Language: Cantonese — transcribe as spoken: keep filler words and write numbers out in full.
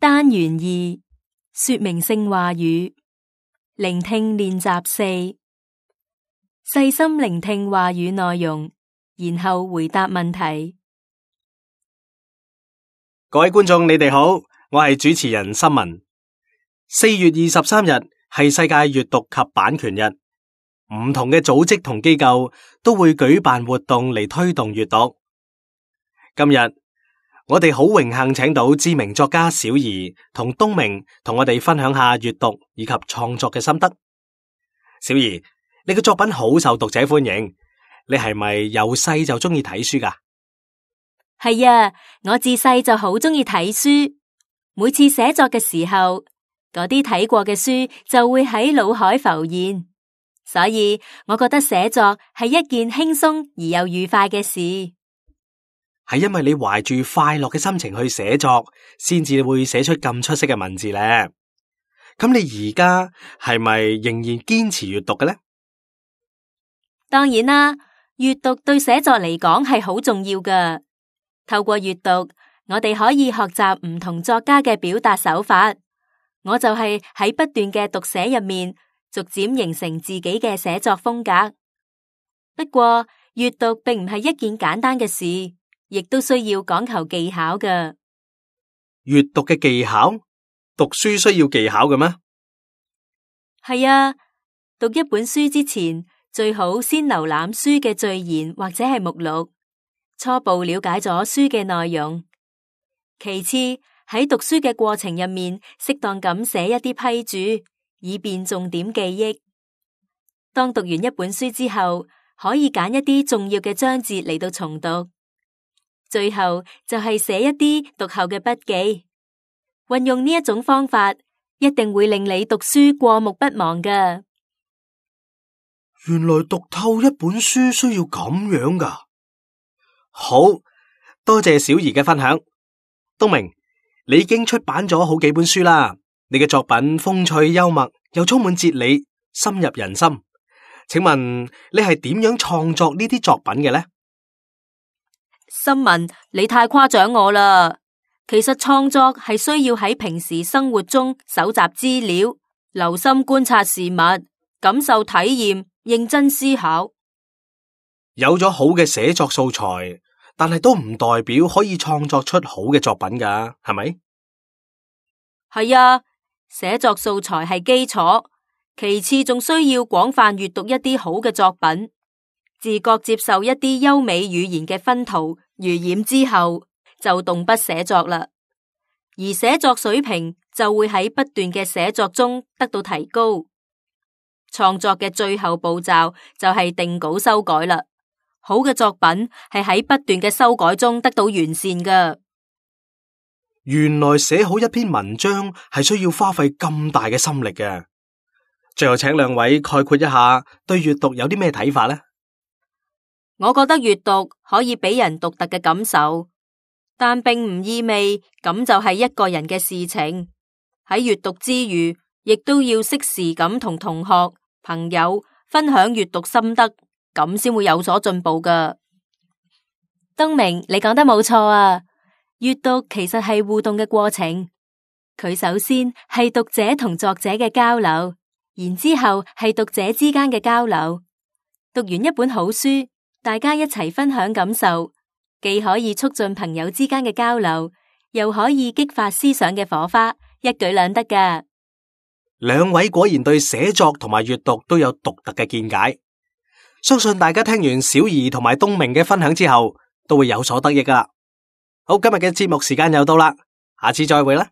單元二，說明性話語，聆聽練習四，細心聆聽話語內容，然後回答問題。各位觀眾，你哋好，我係主持人森文。四月二十三日係世界閱讀及版權日，唔同嘅組織同機構都會舉辦活動嚟推動閱讀。今日我哋好榮幸請到知名作家小怡同東明同我哋分享下閱讀以及創作嘅心得。小怡，你嘅作品好受讀者歡迎，你係咪由細就中意睇書㗎？係啊，我自細就好中意睇書，每次寫作嘅時候，嗰啲睇過嘅書就會喺腦海浮現，所以我覺得寫作係一件輕鬆而又愉快嘅事。係因為你懷住快樂嘅心情去寫作，先至會寫出咁出色嘅文字咧。咁你而家係咪仍然堅持閱讀嘅呢？當然啦，閱讀對寫作嚟講係好重要㗎。透過閱讀，我哋可以學習唔同作家嘅表達手法。我就係喺不斷嘅讀寫入面，逐漸形成自己嘅寫作風格。不過，閱讀並唔係一件簡單嘅事。亦都需要講求技巧㗎。閱讀嘅技巧，讀書需要技巧嘅咩？係啊，讀一本書之前，最好先瀏覽書嘅序言或者係目錄，初步了解咗書嘅內容。其次，喺讀書嘅過程入面，適當咁寫一啲批注，以便重點記憶。當讀完一本書之後，可以揀一啲重要嘅章節嚟到重讀。最後就係寫一啲讀後嘅筆記，運用呢一種方法，一定會令你讀書過目不忘㗎。原來讀透一本書需要咁樣㗎。好多謝小怡嘅分享。東明，你已經出版咗好幾本書啦，你嘅作品風趣幽默，又充滿哲理，深入人心。請問你係點樣創作呢啲作品嘅呢？森文，你太誇獎我啦！其實創作係需要喺平時生活中搜集資料，留心觀察事物，感受體驗，認真思考。有咗好嘅寫作素材，但係都唔代表可以創作出好嘅作品㗎，係咪？係啊，寫作素材係基礎，其次仲需要廣泛閱讀一啲好嘅作品。自覺接受一啲優美語言嘅熏陶濡染之後，就動筆寫作啦。而寫作水平就會喺不斷嘅寫作中得到提高。創作嘅最後步驟就係定稿修改啦。好嘅作品係喺不斷嘅修改中得到完善㗎。原來寫好一篇文章係需要花費咁大嘅心力嘅。最後請兩位概括一下對閱讀有啲咩睇法呢？我覺得閱讀可以俾人獨特嘅感受，但並唔意味咁就係一個人嘅事情。喺閱讀之餘，亦都要適時咁同同學、朋友分享閱讀心得，咁先會有所進步㗎。東明，你講得冇錯啊！閱讀其實係互動嘅過程，佢首先係讀者同作者嘅交流，然之後係讀者之間嘅交流。讀完一本好書，大家一齊分享感受，既可以促進朋友之間嘅交流，又可以激發思想嘅火花，一舉兩得㗎。兩位果然對寫作同埋閱讀都有獨特嘅見解，相信大家聽完小怡同埋東明嘅分享之後，都會有所得益㗎啦。好，今日嘅節目時間又到啦，下次再會啦。